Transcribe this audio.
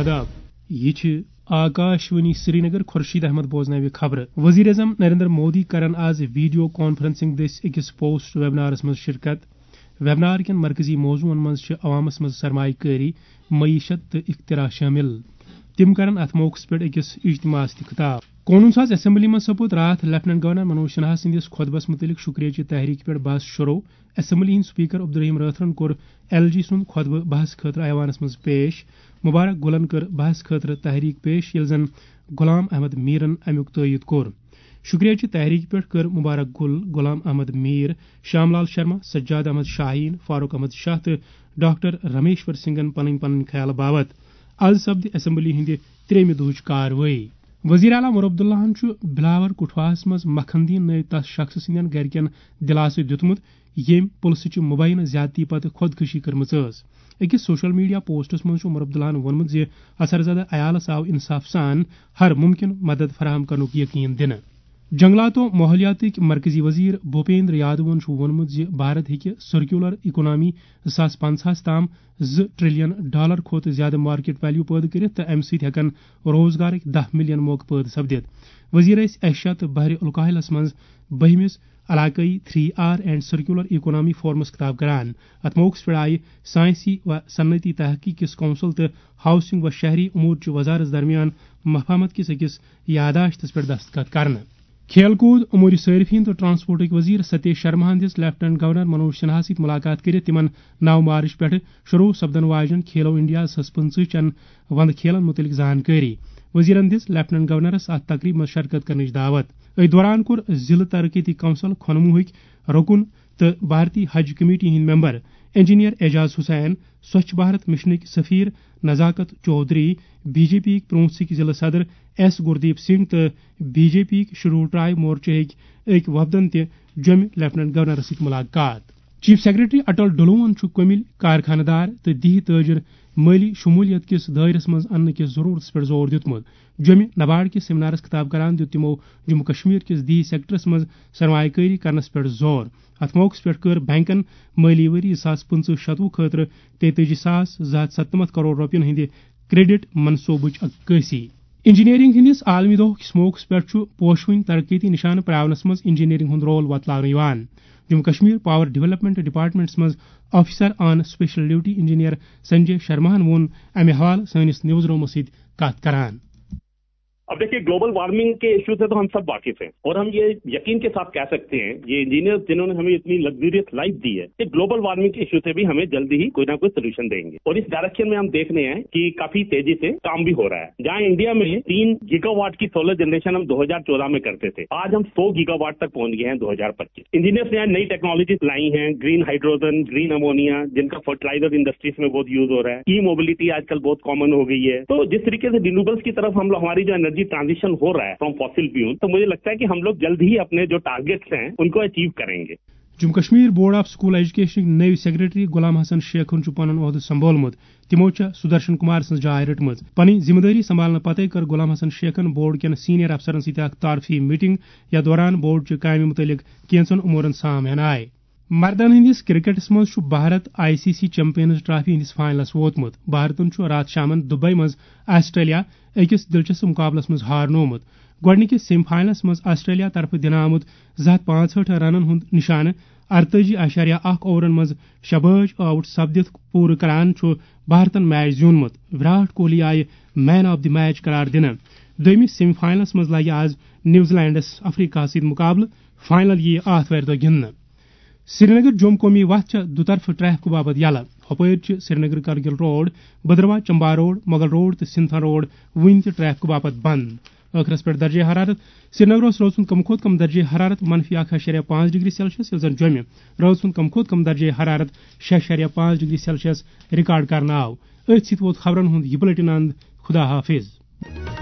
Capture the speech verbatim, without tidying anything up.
آداب۔ یہ چھ آکاشوانی سرینگر۔ خورشید احمد بوزناوِ خبرٕ۔ وزیر اعظم نریندر مودی کرن آز ویڈیو کانفرنسنگ دٔسۍ أکِس پوسٹ ویبنارس منٛز شرکت۔ ویبنار کٮ۪ن مرکزی موضوعن منٛز چھِ عوامس منٛز سرمایہ کٲری، معیشت تہٕ اختراع شٲمِل۔ تِم کرن اتھ موقعس پٮ۪ٹھ أکِس اجتماعس تہِ خطاب۔ قونوٗن ساز اسمبلی منٛز سپُد راتھ لیفٹیننٹ گورنر منوج سنہا سٕنٛدِس خطبس مُتعلق شُکریہ چہِ تحریٖک پٮ۪ٹھ بحث شروع۔ اسمبلی ہٕنٛدۍ سپیکر عبدالرحیم رٲتھرن کوٚر ایل جی سُنٛد خطبہٕ بحث خٲطرٕ ایوانس منٛز پیش۔ مبارک گُلن کٔر بحث خٲطرٕ تحریٖک پیش، ییٚلہِ زن غلام احمد میٖرن امیُک تٲیید کوٚر۔ شُکریہ چہِ تحریٖک پٮ۪ٹھ کٔر مبارک گُل، غلام احمد میٖر، شام لال شرما، سجاد احمد شاہین، فاروق احمد شاہ تہٕ ڈاکٹر رمیشور سنگھن پنٕنۍ پنٕنۍ خیال باوت۔ از سپدِ اسمبلی ہٕنٛدِ ترٛیٚیمہِ دۄہٕچ کاروٲیی۔ وزیر اعلیٰ عمر عبداللہن چھُ بلاور کٹھواہس منٛز مکھن دین نٲوۍ تس شخصہٕ سٕنٛدٮ۪ن گرِکٮ۪ن دِلاسہٕ دیُتمُت، ییٚمۍ پُلسہٕ چہِ مُبینہٕ زیادتی پتہٕ خودکشی کٔرمٕژ ٲس۔ أکِس سوشل میڈیا پوسٹس منٛز چھُ عمر عبداللہن ووٚنمُت زِ اثرزدہ عیالس آو انصاف سان ہر ممکن مدد فراہم کرنُک یقین دِنہٕ۔ جنگلات و ماحولیاتٕکۍ مرکزی وزیر بھوپیندر یادوَن چھُ ووٚنمُت زِ بھارت ہیٚکہِ سرکیولر اکانومی زٕ ساس پنٛژاہس تام زٕ ٹریلین ڈالر کھۄتہٕ زیادٕ مارکیٹ ویلیو پٲدٕ کٔرِتھ تہٕ امہِ سۭتۍ ہٮ۪کن روزگارٕکۍ دَہ ملین موقعہٕ پٲدٕ سپدِتھ۔ وزیر ٲسۍ ایشیا تہٕ بحر الکاہلس منٛز بٔہمِس علاقٲیی three R and circular economy forums خطاب کران۔ اتھ موقعس پٮ۪ٹھ آیہِ سائنسی و صنعتی تحقیق کِس کونسل تہٕ ہاؤسنگ و شہری امور چہِ وزارت درمیان مفاہمت کِس أکِس یادداشتس پٮ۪ٹھ دستخط کرنہٕ۔ کھیل کوٗد، امور صارفین تہٕ ٹرانسپورٹٕکۍ وزیر ستیش شرماہن دِژ لیفٹیننٹ گورنر منوج سنہا سۭتۍ ملاقات کٔرِتھ تِمن نَو مارچ پٮ۪ٹھٕ شروع سپدن واجٮ۪ن کھیلو انڈیا زٕ ساس پٕنٛژٕہ چٮ۪ن وندٕ کھیلن مُتعلق زانکٲری۔ وزیرن دِژ لیفٹیننٹ گورنرس اتھ تقریبہِ منٛز شرکت کرنٕچ دعوت۔ أتھۍ دوران کوٚر ضلعہٕ ترقیتی کونسل کھۄنموہٕکۍ رکن تہٕ بھارتی حج کمیٹی ہٕنٛدۍ ممبر انجینئر اعجاز حسین، سوچھ بھارت مشنٕکۍ سفیر نزاکت چودھری، بی جے پی یِکۍ پرونسٕکۍ ضلع صدر ایس گردیپ سنگھ تہٕ بی جے پی یِکۍ شیڈول ٹرائب مورچہٕکۍ أکۍ وفدن تہِ جوٚمہِ لیفٹیننٹ گورنرس سۭتۍ ملاقات۔ چیف سیکرٹری اٹل ڈلون چھُ کٔمِلۍ کارخانہٕ دار تہٕ دیہی تاجر مٲلی شمولیت کِس دٲیرس منٛز اننہٕ کِس ضرورتس پٮ۪ٹھ زور دیُتمُت۔ جوٚمہِ نباڑ کِس سیمینارس خطاب کران دیُت تِمو جموں کشمیر کِس دیہی سیکٹرس منٛز سرمایہ کٲری کرنس پٮ۪ٹھ زور۔ اتھ موقعس پٮ۪ٹھ کٔر بینکن مٲلی ؤری زٕ ساس پٕنٛژٕہ شتوُہ خٲطرٕ تیتٲجی ساس زٕ ہتھ ستنمتھ کرور رۄپین ہٕنٛدِ کریڈٹ منصوبٕچ عکٲسی۔ انجینئرنگ ہٕنٛدِس عالمی دۄہ کِس موقعس پٮ۪ٹھ چھُ پوشوٕنۍ ترقیتی نشانہٕ پراونس منٛز انجینئرنگ ہُنٛد رول وۄتلاونہٕ یِوان۔ Jammu Kashmir power development departments منٛز آفیسر آن اسپیشل ڈیوٹی انجینئر سنجے شرماہن ووٚن امہِ حوالہٕ سٲنِس نیوز رومس سۭتۍ کتھ کران۔ अब देखिए, ग्लोबल वार्मिंग के इशू से तो हम सब वाकिफ हैं और हम ये यकीन के साथ कह सकते हैं, ये इंजीनियर्स जिन्होंने हमें इतनी लग्जरियस लाइफ दी है, कि ग्लोबल वार्मिंग के इशू से भी हमें जल्दी ही कोई ना कोई सोल्यूशन देंगे। और इस डायरेक्शन में हम देख रहे हैं कि काफी तेजी से काम भी हो रहा है। जहां इंडिया में तीन गीगावाट की सोलर जनरेशन हम दो हज़ार चौदह में करते थे, आज हम सौ गीगावाट तक पहुंच गए हैं दो हज़ार पच्चीस। इंजीनियर्स ने नई टेक्नोलॉजीज लाई हैं, ग्रीन हाइड्रोजन, ग्रीन अमोनिया, जिनका फर्टिलाइजर इंडस्ट्रीज में बहुत यूज हो रहा है। ई मोबिलिटी आजकल बहुत कॉमन हो गई है। तो जिस तरीके से रिन्यूएबल्स की तरफ हम लोग, हमारी जो एनर्जी ट्रांजिशन हो रहा है फ्रॉम फॉसिल फ्यूल, तो मुझे लगता है कि हम लोग जल्द ही अपने जो टारगेट्स हैं उनको अचीव करेंगे। Jammu Kashmir board of school ایجوکیشنٕکۍ نٔوۍ سیکرٹری غلام حسن شیخن چھُ پنُن عہدٕ سنبھولمُت۔ تِمو چھےٚ سدرشن کمار سٕنٛز جاے رٔٹمٕژ۔ پنٕنۍ ذمہٕ دٲری سنبھالنہٕ پتَے کٔر غلام حسن شیخن بورڈ کٮ۪ن سینئر افسرن سۭتۍ اکھ تعارفی میٹنگ، یتھ دوران بورڈ چہِ کامہِ مُتعلق کینٛژن امورن سام ہینہٕ آیہِ۔ مردن ہٕنٛدِس کرکٹس منٛز چھُ Bharat I C C champions trophy ہٕنٛدِس فائنلس ووتمُت۔ بھارتن چھُ راتھ شامن دبئی منٛز آسٹریلیا أکِس دلچسپ مقابلس منٛز ہارنوومُت۔ گۄڈٕنِکِس سیمی فائنلس منٛز آسٹریلیا طرفہٕ دِنہٕ آمُت زٕ ہتھ پانٛژہٲٹھ رنن ہُنٛد نشانہٕ ارتٲجی اعشاریہ اکھ اوورن منٛز شابٲش آؤٹ سپدِتھ پوٗرٕ کران چھُ بھارتن میچ زیوٗنمُت۔ وراٹ کوہلی آیہِ مین آف دی میچ قرار دِنہٕ۔ دوٚیمِس سیمی فائنلس منٛز لگہِ آز نیوزی لینڈس افریقہ سۭتۍ مقابلہٕ۔ فائنل یِیہِ آتھوارِ دۄہ گِنٛدنہٕ۔ سرینگر جوم قومی وتھ چھےٚ دُطرفہٕ ٹریفکہٕ باپتھ یلہٕ۔ ہۄپٲرۍ چھِ Srinagar Kargil road, Bhaderwah Chamba road, Mughal road تہٕ سنتھن روڈ وُنہِ تہِ ٹریفکہٕ باپتھ بند۔ ٲخرس پٮ۪ٹھ درجہ حرارت۔ سرینگرس روز سُنٛد کم کھۄتہٕ کم درجہ حرارت منفی اکھ اعشاریہ پانٛژھ ڈگری سیلسیس، ییٚلہِ زن جوٚمہِ روز سُنٛد کم کھۄتہٕ کم درجہ حرارت شےٚ اعشاریہ پانٛژھ ڈگری سیلسیس ریکارڈ کرنہٕ آو۔ أتھۍ سۭتۍ ووت خبرن ہُنٛد یہِ بلیٹن اند۔ خدا حافظ۔